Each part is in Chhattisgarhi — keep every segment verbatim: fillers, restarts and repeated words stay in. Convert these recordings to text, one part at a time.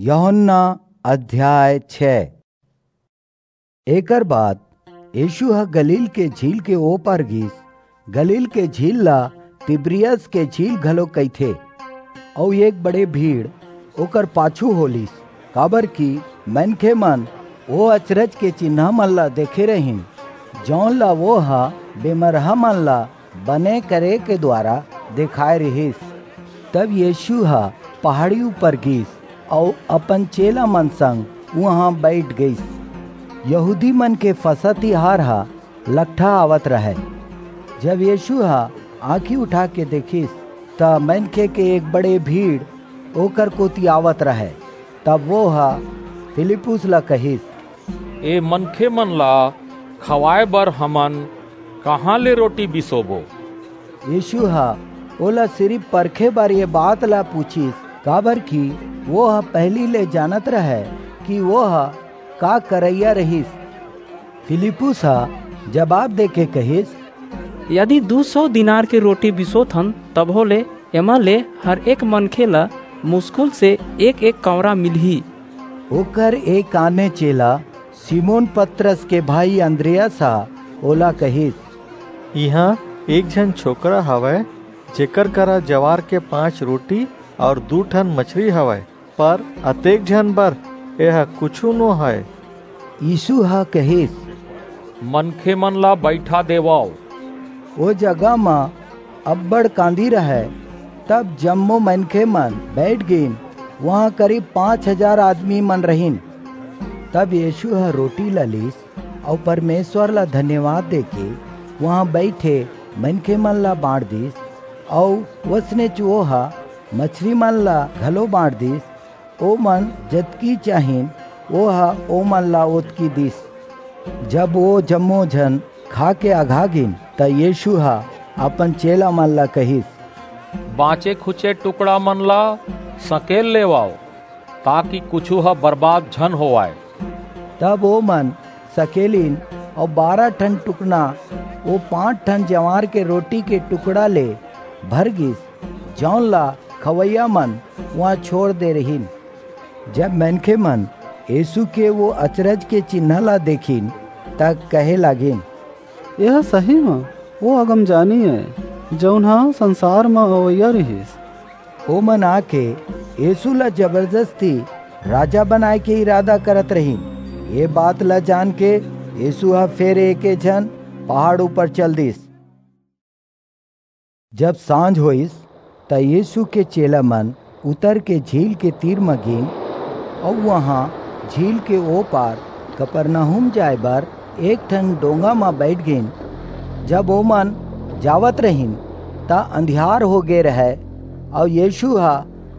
यूहन्ना अध्याय छह। एकर बाद यीशु ह गलील के झील के ओ पार गिस। गलील के झील ला तिब्रियस के झील घलो कहिथे। अउ एक बड़े भीड़ ओकर पाछू होलिस, काबर कि मनखे मन ओ अचरज के चिन्हा मन ला देखे रहिन, जौन ला वो ह बेमरहा मन ला बने करे के द्वारा देखाय रिहिस। तब यीशु ह पहाड़ी ऊपर गिस अउ अपन चेला मन संग उहां बइठ गिस। यहूदी मन के फसह तिहार ह लकठा आवत रहय। जब यीशु ह आंखी उठा के देखिस, त मनखे के एक बड़े भीड़ ओकर कोति आवत रहय। तब वो ह फिलिप्पुस ला कहिस, ए मनखे मन ला खवाए बर हमन कहाँ ले रोटी बिसोबो? यीशु ह ओला सिरिफ परखे बर ये बात ला पूछिस, काबर कि वो ह पहिली ले जानत रहय कि वो ह का करइया रहिस। फिलिप्पुस ह जवाब देके कहिस, यदि दू सौ दिनार के रोटी बिसोथन, तभो ले एमा ले हर एक मनखे ला मुस्कुल से एक एक कौंरा मिलही। ओकर एक आने चेला सिमोन पतरस के भाई अंद्रियास ह ओला कहिस, इहां एक झन छोकरा हवय, जेकर करा जवार के पांच रोटी अउ दू ठन मछरी हवय, पर अतेक झन बर एह कुछू नो हय। यीशु ह कहिस, मनखे मन ला बइठा देवव। ओ जगह म अब्बड़ कांदी रहय। तब जम्मो मनखे मन बइठ गीन। उहां करीब पांच हजार आदमी मन रहिन। तब यीशु ह रोटी ला लीस अउ परमेश्वर ला धन्यवाद देके उहां बइठे मनखे मन ला बांट दीस, अउ वसनेच वो ह मछरी मन ला घलो बांट दीस। ओमन जतकी चाहिन, वो ह ओमन ला ओतकी दीस। जब वो जम्मो झन खा के अघा गीन, त यीशु ह अपन चेला मन ला कहिस, बांचे खुचे टुकड़ा मन ला सकेल लेवव, ताकि कुछू ह बर्बाद झन होवय। तब ओमन सकेलिन, अउ बारह ठन टुकना ओ पांच ठन जवार के रोटी के टुकड़ा ले भर गीस, जौन ला खवइया मन उहां छोड़ दे रहिन। जब मनखे मन यीशु के वो अचरज के चिन्हा ला देखिन, त कहे लागिन, यह सही म वो अगमजानी ए, जौन ह संसार म अवइया रिहिस। ओमन आके यीशु ला जबरदस्ती राजा बनाए के इरादा करत रहिन। ये बात ला जान के यीशु ह फेर एके झन पहाड़ ऊपर चल दिस। जब सांझ होइस, त यीशु के चेला मन उतर के झील के तीर म गीन, अऊ वहां झील के ओ पार कफरनहूम जाय बर एक ठन डोंगा म बईठ गीन। जब ओमन जावत रहिन, त अंधियार हो गे रहय, अऊ यीशु ह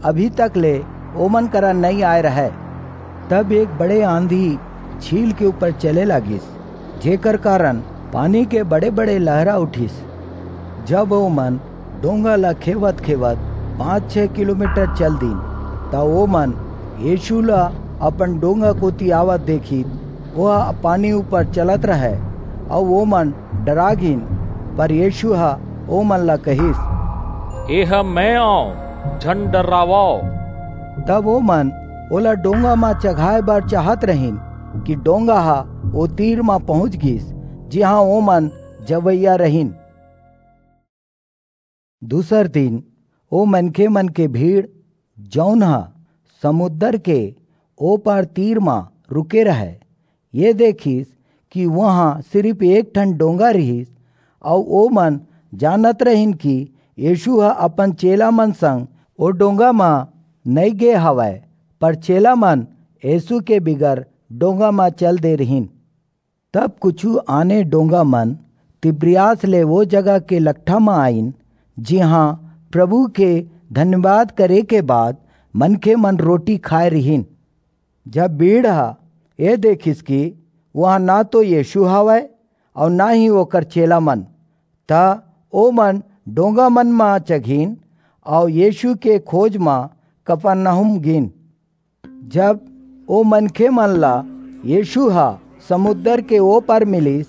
अभी तक ले ओमन करा नइं आय रहय। तब एक बड़े आंधी झील के ऊपर चले लागिस, जेकर कारन पानी के बड़े-बड़े लहरा उठिस। जब ओमन डोंगा ला खेवत-खेवत पांच छह किलोमीटर चल दीन, त ओमन यीशु ला अपन डोंगा कोति आवत देखिन, ओह पानी ऊपर चलत रहय, अऊ ओमन डरा गीन। पर यीशु ह ओमन ला कहिस, "एह मैं अंव, झन डर्रावव।" तब ओमन ओला डोंगा म चघाय बर चाहत रहिन कि डोंगा ह ओ तीर म पहुंच गीस, जिहां ओमन जवइया रहिन। दूसर दिन ओ मनखेमन के भीड़, जऊन ह समुंदर के ओ पार तीर म रुके रहय, ये देखिस कि उहां सिरिप एक ठन डोंगा रिहिस, अऊ ओमन जानत रहिन कि यीशु ह अपन चेलामन संग ओ डोंगा म नइं गे हवय, पर चेलामन यीशु के बिगर डोंगा म चल दे रिहिन। तब कुछू आने डोंगामन तिबिरियास ले ओ जगह के लकठा म आईन, जिहां प्रभु के धन्यवाद करे के बाद मनखेमन रोटी खाय रिहिन। जब भीड़ ह ए देखिस कि उहां न तो यीशु हवय अऊ न ही ओकर चेलामन, त ओमन डोंगामन म चघिन अऊ यीशु के खोज म कफरनहूम गीन। जब ओ मनखेमन ला यीशु ह समुंदर के ओ पार मिलिस,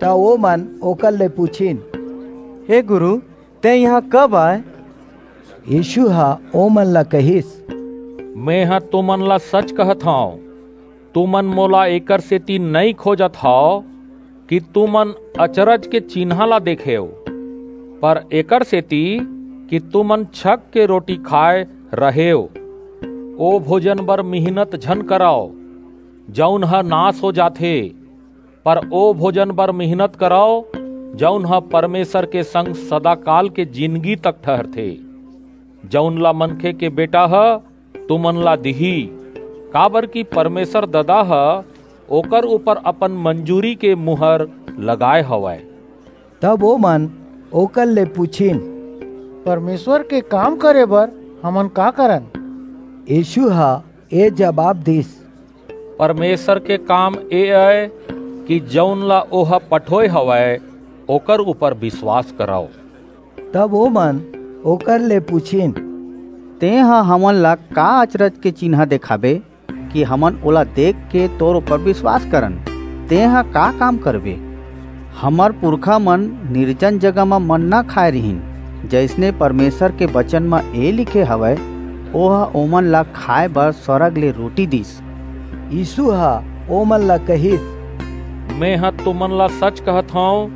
त ओमन ओकर ले पुछिन, "हे गुरू, तें इहां कब आय?" यीशु ह ओमन ला कहिस, मेंह तुमन ला सच कहत हंव, तुमन मोला एकर सेती नइं खोजत हव कि तुमन अचरज के चिन्हां ला देखेव, पर एकर सेती कि तुमन छक के रोटी खाय रहेव। ओ भोजन बर मिहनत झन करव, जऊन ह नास हो जाथे, पर ओ भोजन बर मिहनत करव, जऊन ह परमेसर के संग सदाकाल के जिनगी तक ठहरथे, जऊन ला मनखे के बेटा ह तुमन ला दिही, काबरकि परमेसर ददा ह ओकर ऊपर अपन मंजूरी के मुहर लगाय हवय। तब ओमन ओकर ले पुछिन, परमेसर के काम करे बर हमन का करन? यीसू ह ए जबाब दीस, परमेसर के काम ए अय कि जऊन ला ओह पठोय हवय, ओकर ऊपर बिसवास करव। तब ओमन ओकर ले पुछिन, तेंह हमन ला का अचरज के चिन्हां देखाबे कि हमन ओला देख के तोर ऊपर बिसवास करन? तेंह का काम करबे? हमर पुरखा मन निरजन जगह म मन्ना खाय रिहिन, जइसने परमेसर के बचन म ए लिखे हवय, ओह ओमन ला खाय बर सरग ले रोटी दीस। यीसू ह ओमन ला कहिस, मेंह तुमन ला सच कहत हंव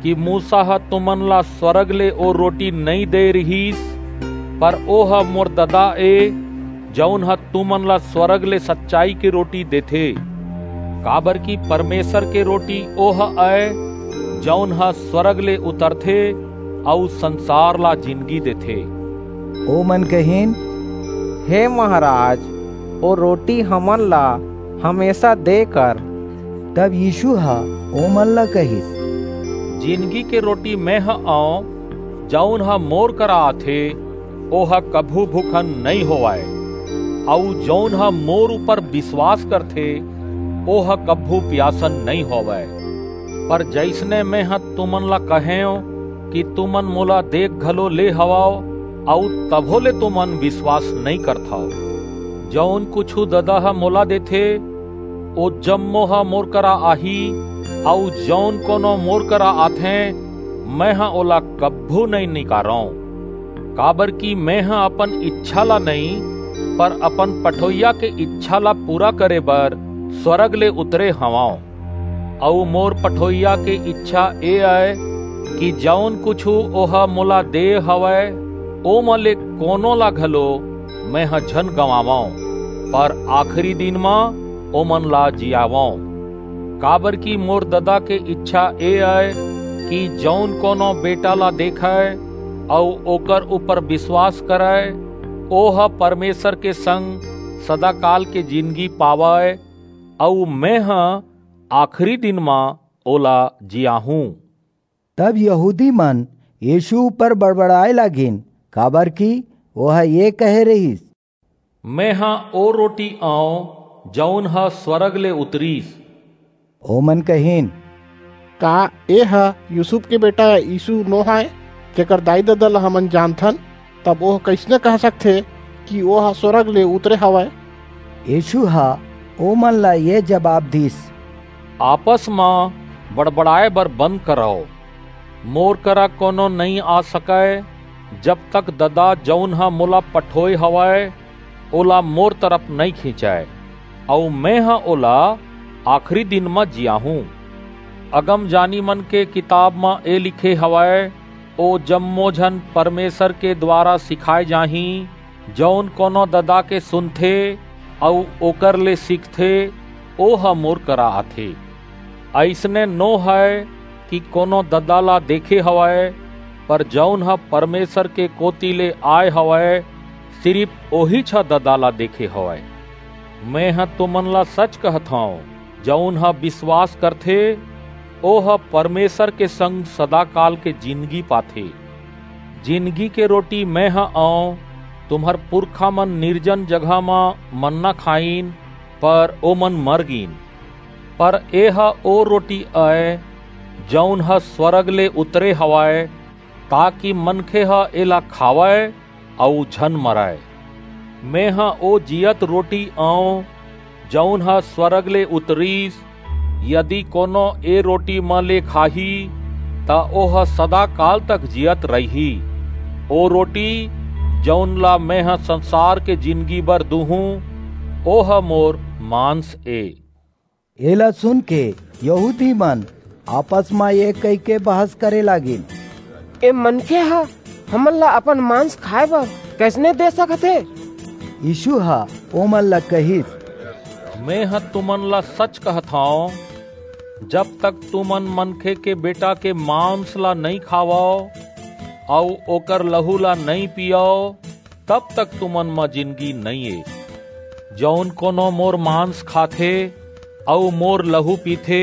कि मूसा ह तुमन ला सरग ले ओ रोटी नइं दे रिहिस, पर ओह मोर ददा ए, जऊन ह तुमन ला सरग ले सच्चाई के रोटी देथे। काबरकि परमेसर के रोटी ओह अय, जऊन ह सरग ले उतरथे अऊ संसार ला जिनगी देथे। ओमन कहिन, हे महाराज, ओ रोटी हमन ला हमेसा दे कर। तब यीसू ह ओमन ला कहिस, जिनगी के रोटी मेंह अंव, जऊन ह मोर करा आथे, ओह कभू भूखन नइं होवय, अऊ जऊन ह मोर ऊपर बिसवास करथे, ओह कभू पियासन नइं होवय। पर जइसने मेंह तुमन ला कहेंव कि तुमन मोला देख घलो ले हवव, अऊ तभो ले तुमन बिसवास नइं करथव। जऊन कुछू ददा ह मोला देथे, ओ जम्मो ह मोर करा आही, अऊ जऊन कोनो मोर करा आथे, मेंह ओला कभू नइं निकारंव। काबरकि मेंह अपन इच्छा ला नइं, पर अपन पठोइया के इच्छा ला पूरा करे बर स्वरग ले उतरे हवंव। अऊ मोर पठोइया के इच्छा ए अय कि जऊन कुछू ओह मोला दे हवय, ओमा ले कोनो ला घलो मेंह झन गंवावंव, पर आखिरी दिन म ओमन ला जियावंव। काबरकि मोर ददा के इच्छा ए अय कि जऊन कोनो बेटा ला देखय अऊ ओकर ऊपर बिसवास करय, ओह परमेसर के संग सदाकाल के जिनगी पावय, अऊ मेंह आखिरी दिन म ओला जियाहूं। तब यहूदी मन यीसू ऊपर बड़बड़ाय लागिन, काबरकि ओह ए कहे रिहिस, मेंह ओ रोटी अंव, जऊन ह स्वरग ले उतरिस। ओमन कहिन, का एह यूसुफ के बेटा यीसू नो हय, जेकर दाई-ददा ला हमन जानथन? तब ओह कइसने कह सकथे कि ओह स्वरग ले उतरे हवय? यीसू ह ओमन ला ए जबाब दीस, आपस म बड़बड़ाय बर बंद करव। मोर करा कोनो नइं आ सकय, जब तक ददा, जऊन ह मोला पठोय हवय, ओला मोर तरफ नइं खींचय, अऊ मेंह ओला आखिरी दिन म जियाहूं। अगमजानी मन के किताब म ए लिखे हवय, ओ जम्मो झन परमेसर के दुवारा सिखाय जाहीं, जऊन कोनो ददा के सुनथे अऊ ओकर ले सीखथे, ओह मोर करा आथे। अइसने नो हय कि कोनो ददा ला देखे हवय, पर जऊन ह परमेसर के कोति ले आय हवय, सिरिप ओहीच ह ददा ला देखे हवय। मेंह तुमन ला सच कहत हंव, जऊन ह बिसवास करथे, ओह परमेसर के संग सदाकाल के जिनगी पाथे। जिनगी के रोटी मेंह अंव। तुम्हर पुरखा मन निरजन जगह म मन्ना खाईन, पर ओमन मर गीन। पर एह ओ रोटी अय, जऊन ह स्वरग ले उतरे हवय, ताकि मनखे ह एला खावय अऊ झन मरय। मेंह ओ जीयत रोटी अंव, जऊन ह स्वरग ले उतरिस। यदि कोनो ए रोटी म ले खाही, त ओह सदाकाल तक जीयत रहिही। ओ रोटी, जऊन ला मेंह संसार के जिनगी बर दूहूं, ओह मोर मांस ए।" एला सुनके यहूदी मन आपस म ए कहिके बहस करे लागिन, "ए मनखे ह हमन ला अपन मांस खाय बर कइसने दे सकत हे?" यीसू ह ओमन ला कहिस, "मेंह तुमन ला सच कहत हंव, जब तक तुमन मनखे के बेटा के मांस ला नइं खावव अऊ ओकर लहू ला नइं पीयव, तब तक तुमन म जिनगी नइं ए। जऊन कोनो मोर मांस खाथे अऊ मोर लहू पीथे,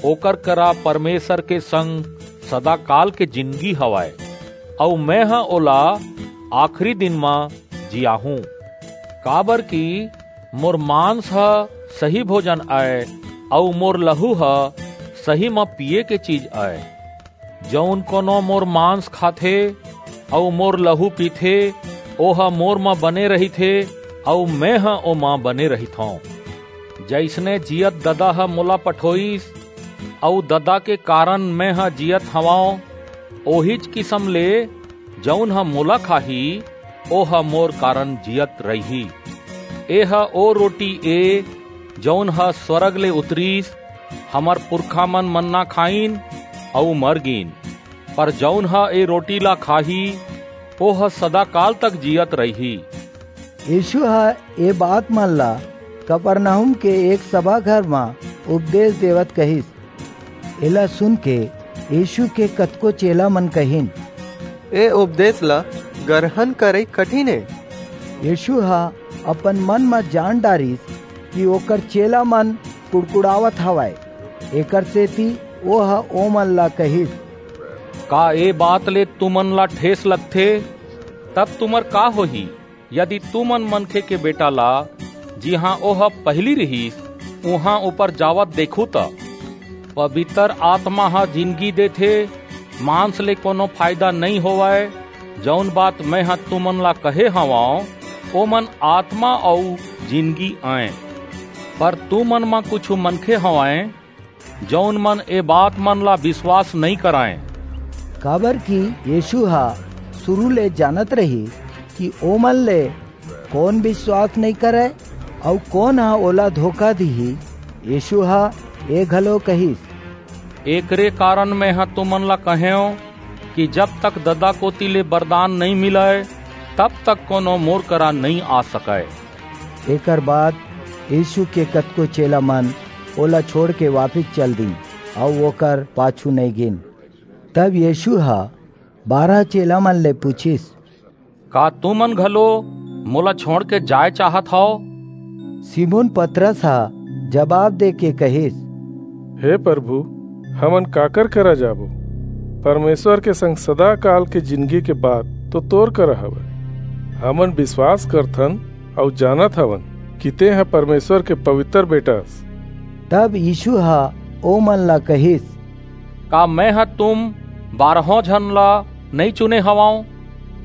ओकर करा परमेसर के संग सदाकाल के जिनगी हवय, अऊ मेंह ओला आखिरी दिन म जियाहूं। काबरकि मोर मांस ह सही भोजन अय, अऊ मोर लहू ह सही म पीये के चीज अय। जऊन कोनो मोर मांस खाथे अऊ मोर लहू पीथे, ओह मोर म बने रहिथे, अऊ मेंह ओमा बने रहिथंव। जइसने जीयत ददा ह मोला पठोईस, अऊ ददा के कारन मेंह जीयत हवंव, ओहीच किसम ले जऊन ह मोला खाही, ओह मोर कारन जीयत रहिही। एह ओ रोटी ए, जऊन ह स्वरग ले उतरिस। हमर पुरखामन मन्ना खाईन अऊ मर गीन, पर जऊन ह ए रोटी ला खाही, ओह सदाकाल तक जीयत रहिही।" यीसू ह ए बात मन ला कफरनहूम के एक सभा घर म उपदेस देवत कहिस। एला सुनके यीसू के कतको चेलामन कहिन, "ए उपदेस ला गरहन करई कठिन ए।" यीसू ह अपन मन म जान डारिस कि ओकर चेलामन कुड़कुड़ावत हवंय, एकरसेति ओह ओमन ला कहिस, "का ए बात ले तुमन ला ठेस लगथे? तब तुमर का होही, यदि तुमन मनखे के बेटा ला, जिहां ओह पहिली रिहिस, उहां ऊपर जावत देखहू त? पबितर आतमा ह जिनगी देथे, मांस ले कोनो फायदा नइं होवय। जऊन बात मेंह तुमन ला कहे हवंव, ओमन आतमा अऊ जिनगी अंय। पर तुमन म कुछू मनखे हवंय, जऊन मन ए बात मन ला बिसवास नइं करंय।" काबरकि यीसू ह सुरू ले जानत रिहिस कि ओमन ले कोन बिसवास नइं करय अऊ कोन ह ओला धोखा दिही। यीसू ह ए घलो कहिस, "एकरे कारन मेंह तुमन ला कहेंव कि जब तक ददा कोति ले बरदान नइं मिलय, तब तक कोनो मोर करा नइं आ सकय।" एकर बाद यीसू के कतको चेलामन ओला छोंड़के वापिस चल दीन अऊ ओकर पाछू नइं गीन। तब यीसू ह बारह चेलामन ले पुछिस, "का तुमन घलो मोला छोंड़के जाय चाहत हव?" सिमोन पतरस ह जबाब देके कहिस, "हे परभू, हमन काकर करा जाबो? परमेसर के संग सदाकाल के जिनगी के बात तो तोर करा हवय। हमन बिसवास करथन अऊ जानत हवन कि तेंह परमेसर के पबितर बेटा अस।" तब यीसू ह ओमन ला कहिस, "का मेंह तुम बारहों झन ला नइं चुने हवंव?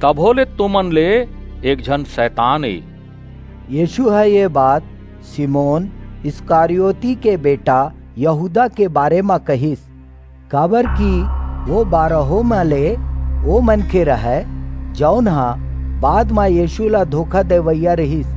तभो ले तुमन ले एक झन सैतान ए।" यीसू ह ए बात सिमोन इस्करियोती के बेटा यहूदा के बारे म कहिस, काबरकि ओ बारहों म ले ओ मनखे रहय, जऊन ह बाद म यीसू ला धोखा देवइया रिहिस।